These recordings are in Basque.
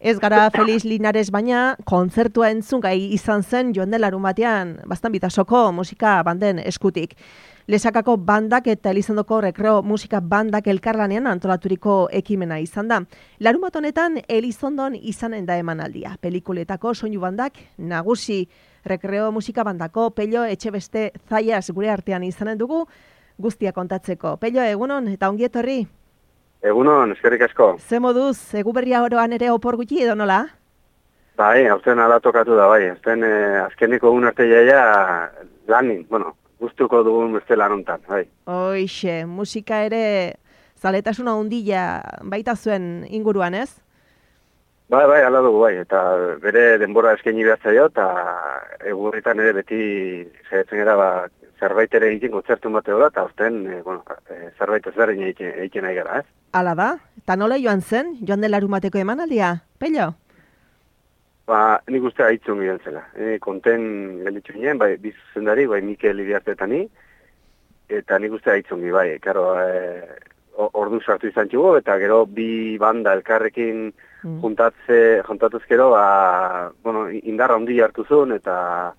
Ez gara Felix Linares baina kontzertua entzun gai izan zen joan den larunbatean Baztan Bitasoko musika banden eskutik. Lesakako bandak eta Elizondoko Rekreo musika bandak elkarlanean antolaturiko ekimena izan da. Larunbat honetan Elizondon izanen da emanaldia. Pelikuletako soinu bandak nagusi Rekreo musika bandako Pello Etxebeste Zaias gure artean izanen dugu guztia kontatzeko. Pello, egunon eta ongi etorri. Egunon, eskerrik asko. Ze moduz, Eguberria oroan ere opor gutxi edo nola? Bai, aurten ala tokatu da, bai. Azkeniko egun arte jaia lanin, gustuko dugun beste lanontan, bai. Hoixe, musika ere zaletasuna handia baita zuen inguruan, ez? Bai, ala dugu, bai. Eta bere denbora eskaini behar zaio, eta Egurritan ere beti saiatzen gara, zerbait ere egiten kontzertu bateo da, eta aurten, zerbait ezberdin egiten nahi gara, ez? Hala da, eta nola joan zen, joan den larunbateko emanaldia, Pello? Nik uste haitzun gidan zela. Konten gelditzu ginen, bai, bizuzendari, bai, Mikel Iriartetani, eta nik uste haitzun gi, bai, karo, ordu sartu izan txugu, eta gero bi banda elkarrekin juntatuzkero, indarra handi hartu zuen, eta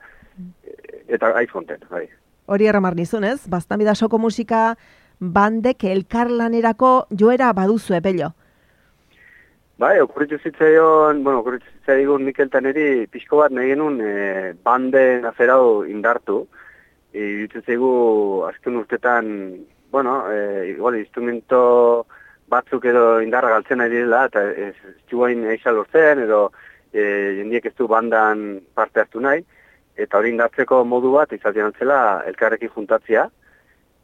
haiz konten, bai. Hori erramar nizun, ez? Baztan Bidasoko musika bandek elkarlanerako joera baduzu, Pello? Bai, okurritu zitzaion Mikel Taneri pixko bat nahi genuen banden aferau indartu. Ditzaigu azken urtetan, igual instrumento batzuk edo indarra galtzen nahi direla, eta ez txuain eixal lortzen, edo jendiek ez du bandan parte hartu nahi, eta hori indartzeko modu bat izatean antzela elkarrekin juntatzia,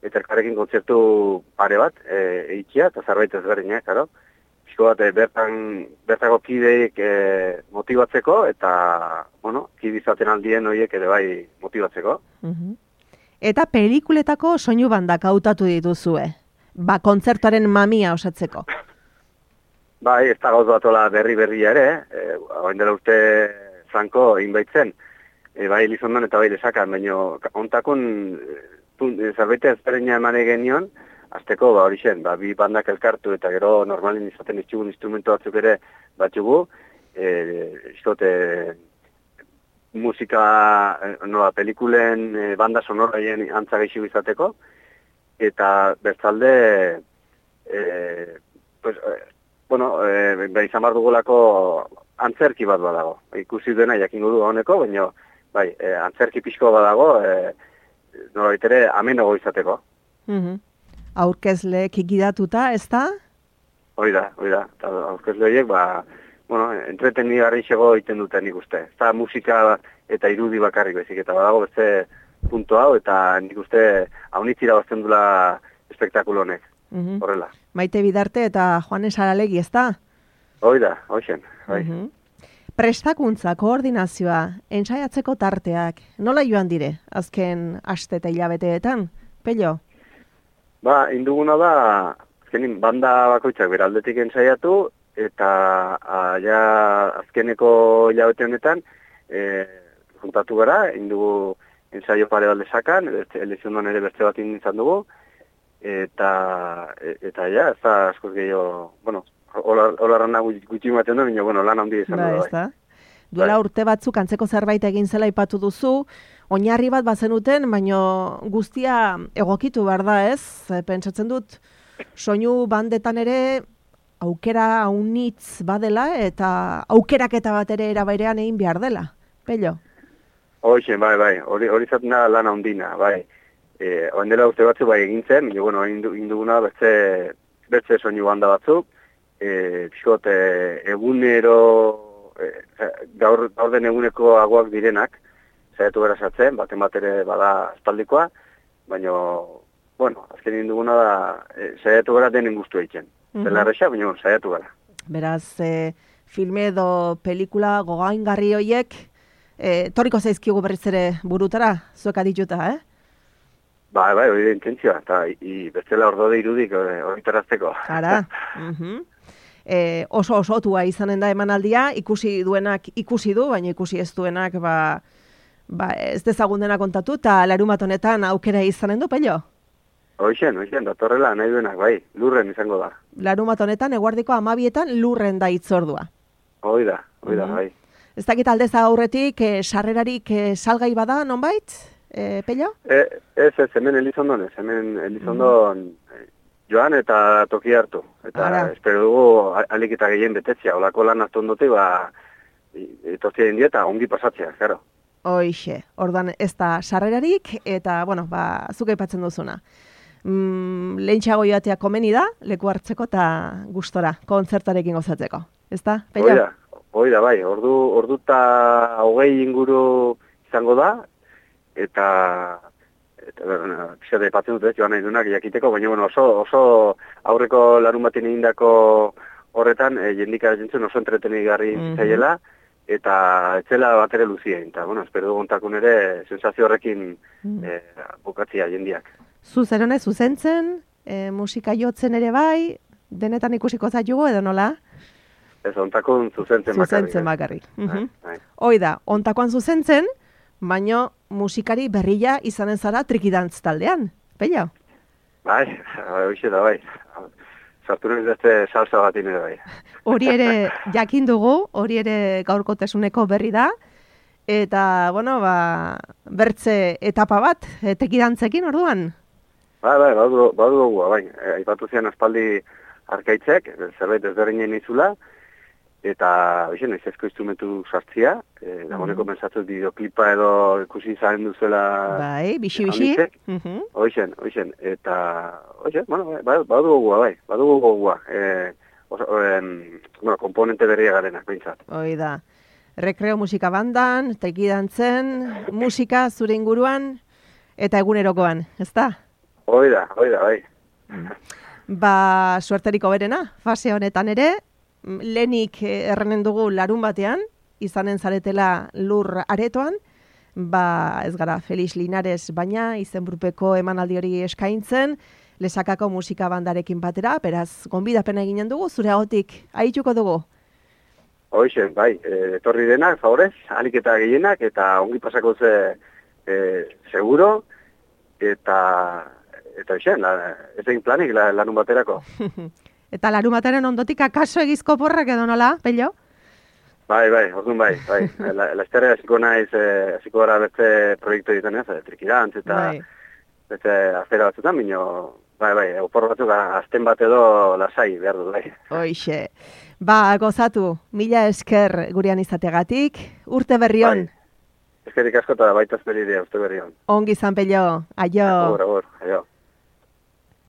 eta elkarrekin kontzertu pare bat eitzia, eta zerbait ezberdinak, karo. Pixko bat bertako kideik motibatzeko, eta, kide izaten aldien horiek ere bai motibatzeko. Eta pelikuletako soinu bandak hautatu dituzue, kontzertuaren mamia osatzeko. Bai, ez da gauz batola berria ere, hain dela urte franko inbaitzen, bai Elizondon eta bai Lesakan, baina ontakun zerbait ezberdina emane genion, azteko hori zen, bi bandak elkartu eta gero normalin izaten itxugun instrumento batzuk ere batxugu, musika, pelikulen banda sonoraien antzageixu izateko, eta bertzalde, izan behar dugulako antzerki bat badago. Ikusi duena jakingo du honeko, baina antzerki pixko badago, norbait ere amenago izateko. Aurkezleek gidatuta, ez da? Hori da. Eta aurkezle horiek, entretenigarri xego egiten duten nik uste. Ez da musika eta irudi bakarrik bezik, eta badago beste punto hau, eta nik uste haunitzira bazten dula espektakulo honek. Horrela. Maite Bidarte eta Juanes Aralegi, ez da? Hori da, hoxen. Prestakuntza, koordinazioa, ensaiatzeko tarteak, nola joan dire, azken aste eta hilabeteetan, Pello? Induguna da, azkenin banda bakoitzak beraldetik ensaiatu, eta azkeneko hilabete honetan, juntatu gara, indugu ensaio pare bat Lesakan, Elizondon ere beste bat izan dugu, eta ez da askoz gehiago, hola rana gutxi batean da, baina lan handi izan dugu. Duela urte batzuk antzeko zerbait egin zela ipatu duzu, oinarri bat bazenuten, baina guztia egokitu behar da, ez? Pentsatzen dut, soinu bandetan ere aukera haunitz badela, eta aukeraketa bat ere erabairean egin behar dela, Pello? Hoxen, bai, hori zaten da lan handina, bai. Oen dela urte batzu bai egintzen, induguna bertze soinu banda batzuk, pixot, egunero, gaur den eguneko aguak direnak, saiatu gara sartzen, baten bat ere bada espaldikoa, baina, azken induguna da, saiatu gara denen guztu egiten. Zela erresa, baina saiatu gara. Beraz, filme edo pelikula gogaingarri horiek, torriko zaizkigu berriz ere burutara, zuek adituta, Bai, hori da intentzioa, eta bestela ordode irudik hori tarazteko. Ara, oso osotua izanen da emanaldia, ikusi duenak ikusi du, baina ikusi ez duenak ez dezagun dena kontatu, eta larunbat honetan aukera izanen du, Pello? Hoixen, datorrela nahi duenak, bai, lurren izango da. Larunbat honetan, eguardiko 12etan lurren da hitzordua. Oida, bai. Ez dakit aldez aurretik, sarrerarik salgai bada, nonbait, Pello? Ez, hemen Elizondon ez, hemen Elizondon joan eta toki hartu. Eta espero dugu alik eta gehien betetzea, olako lan hartu ondote, etortzea indieta, ongi pasatzea, claro. Hoixe, ordan ez da sarrerarik, eta, bueno, zuk aipatzen duzuna. Lehentxeago joatea komeni da, leku hartzeko eta gustora, kontzertarekin gozatzeko. Ez da, Pello? Oida, bai, ordu eta 20 inguru izango da, eta pixat aipatzen dut ez, joan nahi dunak jakiteko, baina bueno, oso aurreko larun batin egindako horretan, jendika jentzen oso entretenigarri zaiela, eta etzela bat ere luzien, eta bueno, espero duguntakun ere sensazio horrekin bukatzia jendiak. Zuzerone, zuzentzen, musika jotzen ere bai, denetan ikusiko zaitugu edo nola? Ez, ontakun zuzentzen bakarrik. Zuzentzen bakarrik. Hoi da, ontakoan zuzentzen, baino musikari berria izanen zara trikidantz taldean, Pello? Bai, hoxe da, bai. Sartu nahi beste salsa bat ere bai. Hori ere jakin dugu, hori ere gaurkotasuneko berri da, eta, bueno, bertze etapa bat, trikidantzekin orduan? Bai, badu dugu, bai. Aipatu zian aspaldi arkaitzek, zerbait ezberdinen izula, eta, hoxe, nahiz ezko instrumentu sartzia, dagoeneko pensatzen bideoklipa edo ikusi izan duzuela... Bai, bixi. Hoxen, eta, hoxe, bueno, badu gogua, bai, badu gogua, komponente berria garenak, behintzat. Hoi da, rekreo musika bandan, trikidantzen, musika zure inguruan, eta egunerokoan, ez da? Hoi da, bai. Suerteriko berena, fase honetan ere, lehenik errenen dugu larun batean, izanen zaretela lur aretoan, ez gara Felix Linares baina izenburupeko emanaldi hori eskaintzen, Lesakako musika bandarekin batera, beraz, gonbidapena eginen dugu, zure ahotik, ahituko dugu? Hoxe, bai, etorri denak, favorez, alik eta gehienak, eta ongi pasako ze seguro, eta hoxen, ez egin planik larun baterako. Eta larun bateren ondotik akaso egizko porrak edo nola, Pello? Bai, orduan bai. Lasterra hasiko naiz, hasiko gara beste proiektu egiten ez, trikidantz eta beste afera batzutan, bino, bai, opor batzuk azten bat edo lasai behar du, bai. Hoixe, gozatu, mila esker gurean izategatik, urte berrion. Eskerik asko eta baita esperidea, urte berrion. Ongi zan, Pello, aio. Agur, aio.